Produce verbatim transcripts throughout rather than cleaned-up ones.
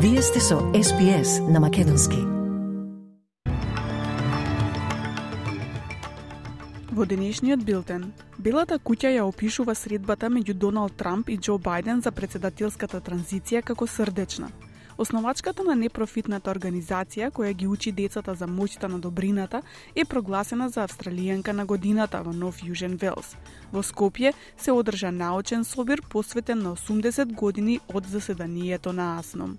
Вие сте со Ес Би Ес на Македонски. Во денешниот билтен, Белата куќа ја опишува средбата меѓу Доналд Трамп и Џо Бајден за претседателската транзиција како срдечна. Основачката на непрофитната организација која ги учи децата за моќта на добрината е прогласена за австралијанка на годината во Нов Јужен Велс. Во Скопје се одржа научен собир посветен на осумдесет години од заседанието на АСНОМ.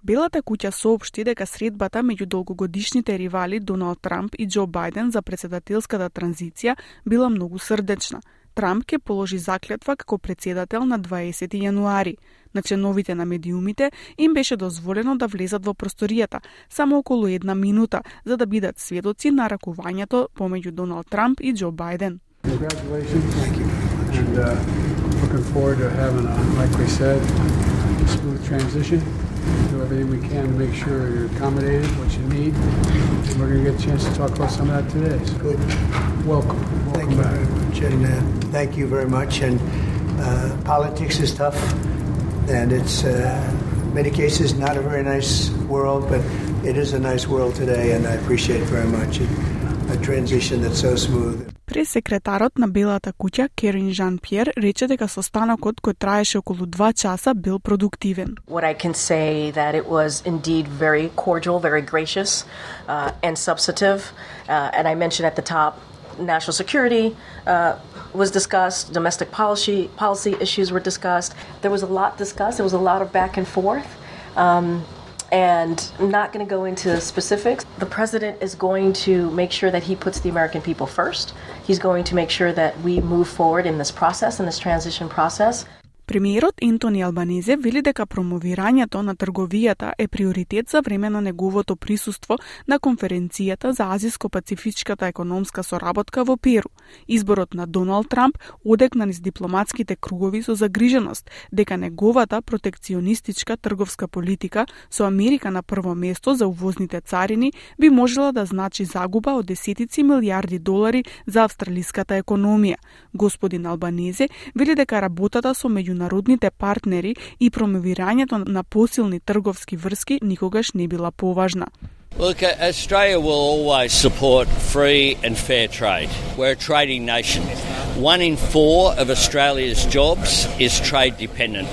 Белата куќа соопшти дека средбата меѓу долгогодишните ривали Доналд Трамп и Џо Бајден за претседателската транзиција била многу срдечна. Трамп ќе положи заклетва како претседател на дваесети јануари. На членовите на медиумите им беше дозволено да влезат во просторијата само околу една минута, за да бидат сведоци на ракувањето помеѓу Доналд Трамп и Џо Бајден. Do everything we can to make sure you're accommodated, what you need, and we're going to get a chance to talk about some of that today. So good. Welcome. Welcome Thank you back. very much, and uh, thank you very much. And uh, politics is tough, and it's uh, in many cases not a very nice world, but it is a nice world today, and I appreciate it very much. It, a transition that's so smooth. Пресекретарот на Белата куќа Керин Жан-Пиер рече дека состанокот кој траеше околу два часа бил продуктивен. What I can say that it was indeed very cordial, very gracious, uh, and substantive. Uh, and I mentioned at the top, national security uh, was discussed, domestic policy policy issues were discussed. There was a lot discussed. There was a lot of back and forth. Um, And I'm not going to go into specifics. The president is going to make sure that he puts the American people first. He's going to make sure that we move forward in this process, in this transition process. Премиерот Ентони Албанезе вели дека промовирањето на трговијата е приоритет за време на неговото присуство на конференцијата за Азиско-пацифичката економска соработка во Перу. Изборот на Доналд Трамп одекна низ дипломатските кругови со загриженост дека неговата протекционистичка трговска политика со Америка на прво место за увозните царини би можела да значи загуба од десетици милијарди долари за австралиската економија. Господин Албанезе вели дека работата со меѓународните партнери и промовирањето на посилни трговски врски никогаш не била поважна. Look, Australia will always support free and fair trade. We're a trading nation. One in four of Australia's jobs is trade dependent.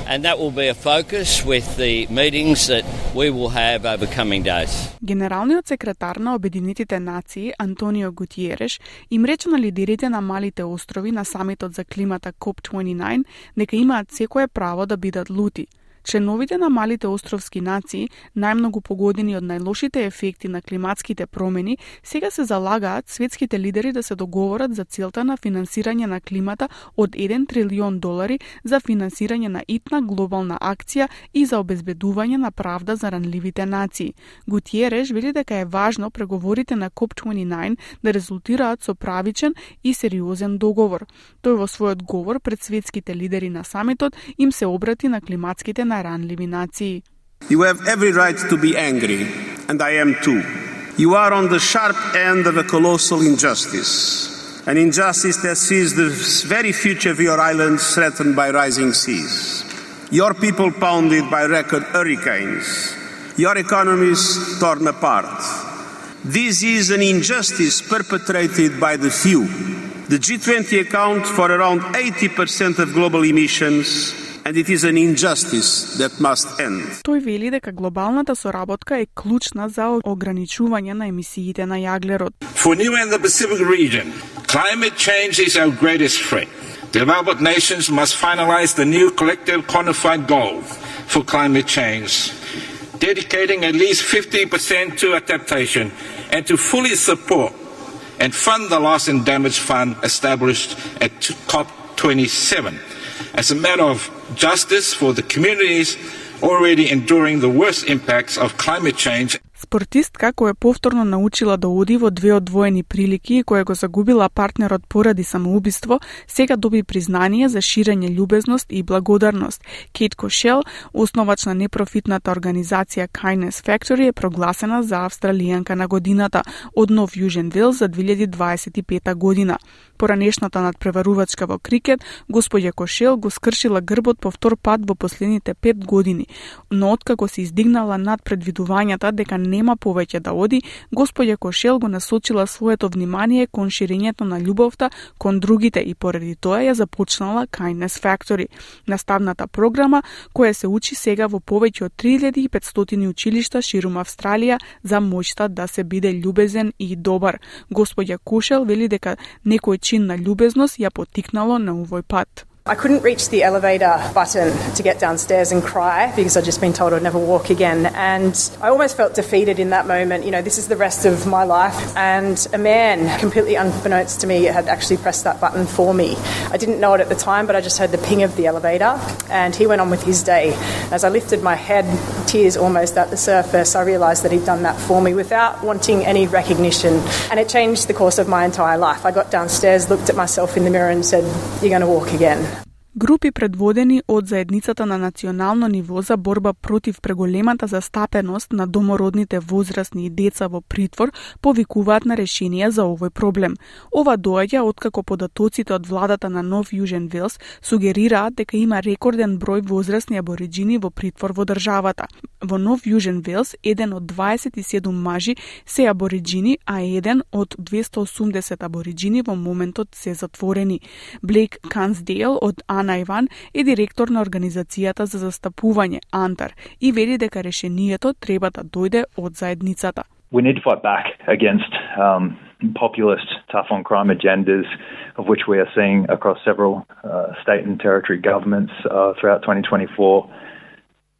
And that will be a focus with the meetings that we will have over coming days. Генералниот секретар на Обединетите нации Антонио Гутиереш им рече на лидерите на малите острови на самитот за климата коп дваесет и девет дека имаат секое право да бидат лути. Членовите на малите островски нации, најмногу погодени од најлошите ефекти на климатските промени, сега се залагаат светските лидери да се договорат за целта на финансирање на климата од еден трилион долари за финансирање на итна глобална акција и за обезбедување на правда за ранливите нации. Гутиереш вели дека е важно преговорите на коп дваесет и девет да резултираат со правичен и сериозен договор. Тој во својот говор пред светските лидери на самитот им се обрати на климатските наранливи нации. You have every right to be angry, and I am too. You are on the sharp end of a colossal injustice, an injustice that sees the very future of your islands threatened by rising seas, your people pounded by record hurricanes, your economies torn apart. This is an injustice perpetrated by the few. The G twenty accounts for around eighty percent of global emissions, and it is an injustice that must end. Тој вели дека глобалната соработка е клучна за ограничување на емисиите на јаглерод. For New and the Pacific region, climate change is our greatest threat. Developed nations must finalize the new collective quantified goal for climate change, dedicating at least fifty percent to adaptation and to fully support and fund the loss and damage fund established at COP twenty-seven. As a matter of justice for the communities already enduring the worst impacts of climate change. Спортистка која повторно научила да оди во две одвоени прилики и која го загубила партнерот поради самоубиство, сега доби признание за ширење љубезност и благодарност. Кейт Кошел, основач на непрофитната организација Kindness Factory, е прогласена за австралијанка на годината од Нов Јужен Велс за две илјади дваесет и пета година. Поранешната надпреварувачка во крикет, господја Кошел го скршила грбот по втор пат во последните пет години, но откако се издигнала над предвидувањата дека нема повеќе да оди, господја Кошел го насочила своето внимание кон ширењето на љубовта кон другите и поради тоа ја започнала Kindness Factory, наставната програма која се учи сега во повеќе од три илјади и петстотини училишта ширум Австралија за моќта да се биде љубезен и добар. Господја Кошел вели дека некој чин на љубезност ја поттикнало на овој пат. I couldn't reach the elevator button to get downstairs and cry because I'd just been told I'd never walk again. And I almost felt defeated in that moment. You know, this is the rest of my life. And a man, completely unbeknownst to me, had actually pressed that button for me. I didn't know it at the time, but I just heard the ping of the elevator and he went on with his day. As I lifted my head, tears almost at the surface, I realised that he'd done that for me without wanting any recognition. And it changed the course of my entire life. I got downstairs, looked at myself in the mirror and said, "You're going to walk again." Групи предводени од заедницата на национално ниво за борба против преголемата застапеност на домородните возрастни и деца во притвор повикуваат на решение за овој проблем. Ова доаѓа откако податоците од владата на Нов Јужен Велс сугерираат дека има рекорден број возрастни абориџини во притвор во државата. Во Нов Јужен Велс еден од дваесет и седум мажи се абориџини, а еден од двесто осумдесет абориџини во моментот се затворени. Блейк Кансдейл од Ана Иван е директор на организацијата за застапување Антар и вели дека решението треба да дојде од заедницата. We need to fight back against um, populist, tough-on-crime agendas, of which we are seeing across several uh, state and territory governments uh, throughout twenty twenty-four.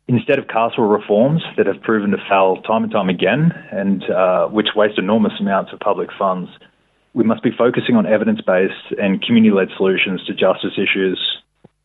Instead of carceral reforms that have proven to fail time and time again, and uh, which waste enormous amounts of public funds, we must be focusing on evidence-based and community-led solutions to justice issues,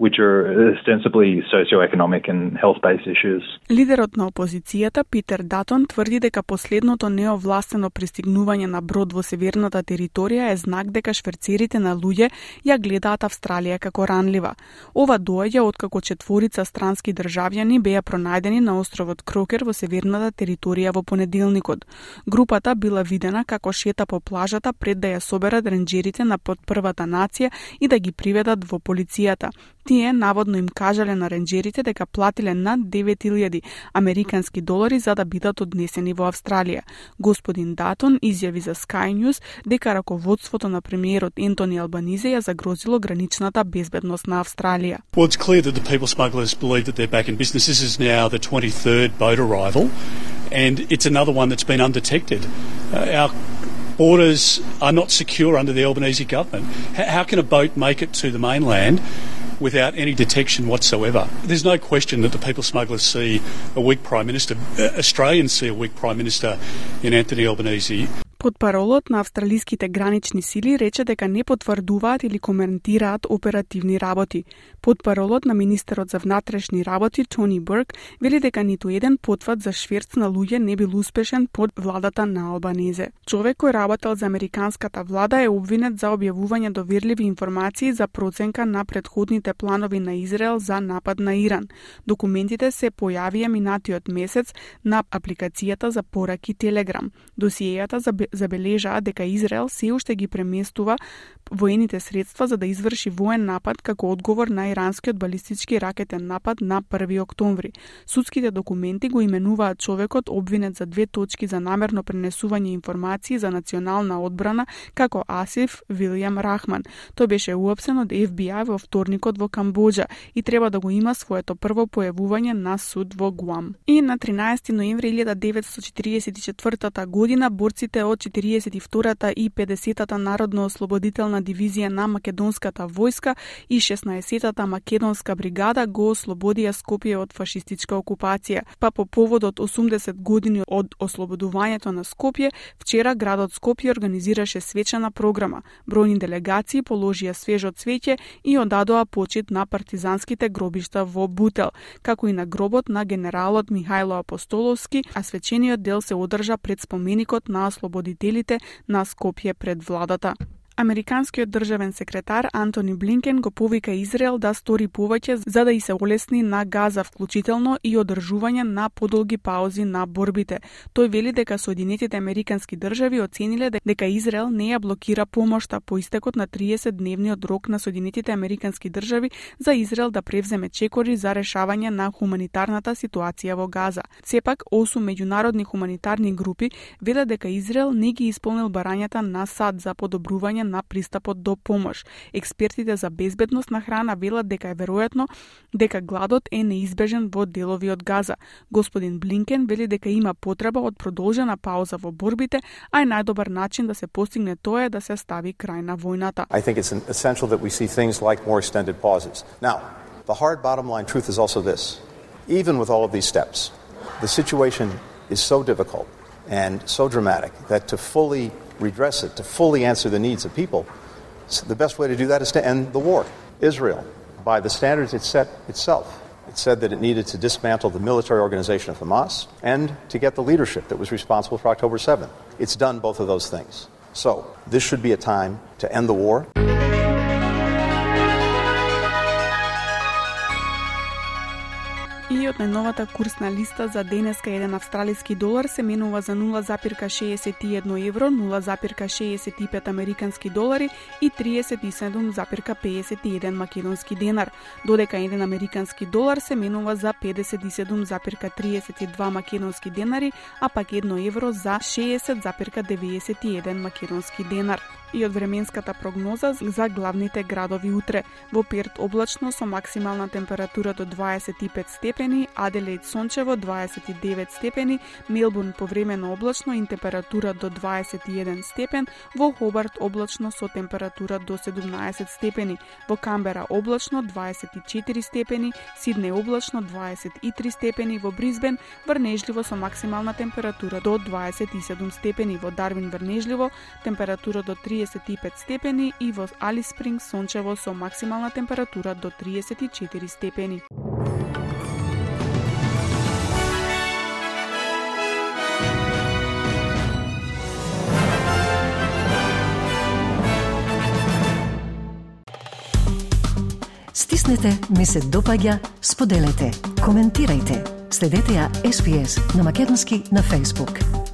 which are ostensibly socio-economic and health-based issues. Лидерот на опозицијата Питер Датон тврди дека последното неовластено пристигнување на брод во северната територија е знак дека шверцерите на луѓе ја гледаат Австралија како ранлива. Ова доаѓа откако четворица странски државјани беа пронајдени на островот Крокер во северната територија во понеделникот. Групата била видена како шета по плажата пред да ја соберат ренџерите на потпрвата нација и да ги приведат во полицијата. Тие наводно им кажале на ренџерите дека платиле над девет илјади американски долари за да бидат однесени во Австралија. Господин Датон изјави за Sky News дека раководството на премиерот Ентони Албанизе ја загрозило граничната безбедност на Австралија. Well, it's clear that the people smugglers believe that they're back in business. This is now the twenty-third boat arrival, and it's another one that's been undetected. Uh, our borders are not secure under the Albanese government. H- how can a boat make it to the mainland without any detection whatsoever? There's no question that the people smugglers see a weak Prime Minister. Australians see a weak Prime Minister in Anthony Albanese. Потпаролот на австралиските гранични сили рече дека не потврдуваат или коментираат оперативни работи. Потпаролот на министерот за внатрешни работи Тони Бурк вели дека ниту еден потврд за шверц на луѓе не бил успешен под владата на Албанезе. Човек кој работел за американската влада е обвинет за објавување доверливи информации за проценка на претходните планови на Израел за напад на Иран. Документите се појавија минатиот месец на апликацијата за пораки Телеграм. Досиејата за забележаа дека Израел се уште ги преместува воените средства за да изврши воен напад како одговор на иранскиот балистички ракетен напад на први октомври. Судските документи го именуваат човекот обвинет за две точки за намерно пренесување информации за национална одбрана како Асиф Вилијам Рахман. Тој беше уапсен од Еф Би Ај во вторникот во Камбоџа и треба да го има своето прво појавување на суд во Гуам. И на тринаесети ноември илјада деветстотини четиридесет и четвртата година борците од четириесет и втората и педесетата народно-ослободителна дивизија на македонската војска и шеснаесеттата македонска бригада го ослободија Скопје од фашистичка окупација. Па по повод од осумдесет години од ослободувањето на Скопје, вчера градот Скопје организираше свечена програма. Бројни делегации положија свежо цвеќе и одадоа почит на партизанските гробишта во Бутел, како и на гробот на генералот Михајло Апостоловски, а свечениот дел се одржа пред споменикот на ослободителите на Скопје пред владата. Американскиот државен секретар Антони Блинкен го повика Израел да стори повеќе за да и се олесни на Газа, вклучително и одржување на подолги паузи на борбите. Тој вели дека Соединетите Американски држави оцениле дека Израел не ја блокира помошта по истекот на триесетдневниот рок на Соединетите Американски држави за Израел да превземе чекори за решавање на хуманитарната ситуација во Газа. Сепак, осум меѓународни хуманитарни групи велат дека Израел не ги исполнил барањата на САД за подобрување на пристапот до помош. Експертите за безбедност на храна велат дека е веројатно дека гладот е неизбежен во делови од Газа. Господин Блинкен вели дека има потреба од продолжена пауза во борбите, а е најдобар начин да се постигне тоа е да се стави крај на војната. I think it's essential that we see things like more extended pauses. Now, the hard bottom line truth is also this. Even with all of these steps, the situation is so difficult and so dramatic that to fully redress it, to fully answer the needs of people, the best way to do that is to end the war. Israel, by the standards it set itself, it said that it needed to dismantle the military organization of Hamas and to get the leadership that was responsible for October seventh. It's done both of those things. So, this should be a time to end the war. И од најновата курсна листа за денеска еден австралиски долар се менува за нула запирка шеесет и едно евро, нула запирка шеесет и пет американски долари и триесет и седум запирка пеесет и еден македонски денар, додека еден американски долар се менува за педесет и седум запирка триесет и два македонски денари, а пак едно евро за шеесет запирка деветдесет и еден македонски денар. И од временската прогноза за главните градови утре. Во Перт облачно со максимална температура до дваесет и пет степени, Аделаид сончево дваесет и девет степени, Мелбурн повремено облачно и температура до дваесет и еден степен, во Хобарт облачно со температура до седумнаесет степени, во Камбера облачно дваесет и четири степени, Сиднеј облачно дваесет и три степени, во Брисбен врнежливо со максимална температура до дваесет и седум степени, во Дарвин врнежливо температура до триесет и пет степени и во Алис Спрингс сончево со максимална температура до триесет и четири степени. Стиснете, ми се допаѓа, споделете, коментирајте. Следете ја Ес Би Ес на македонски на Facebook.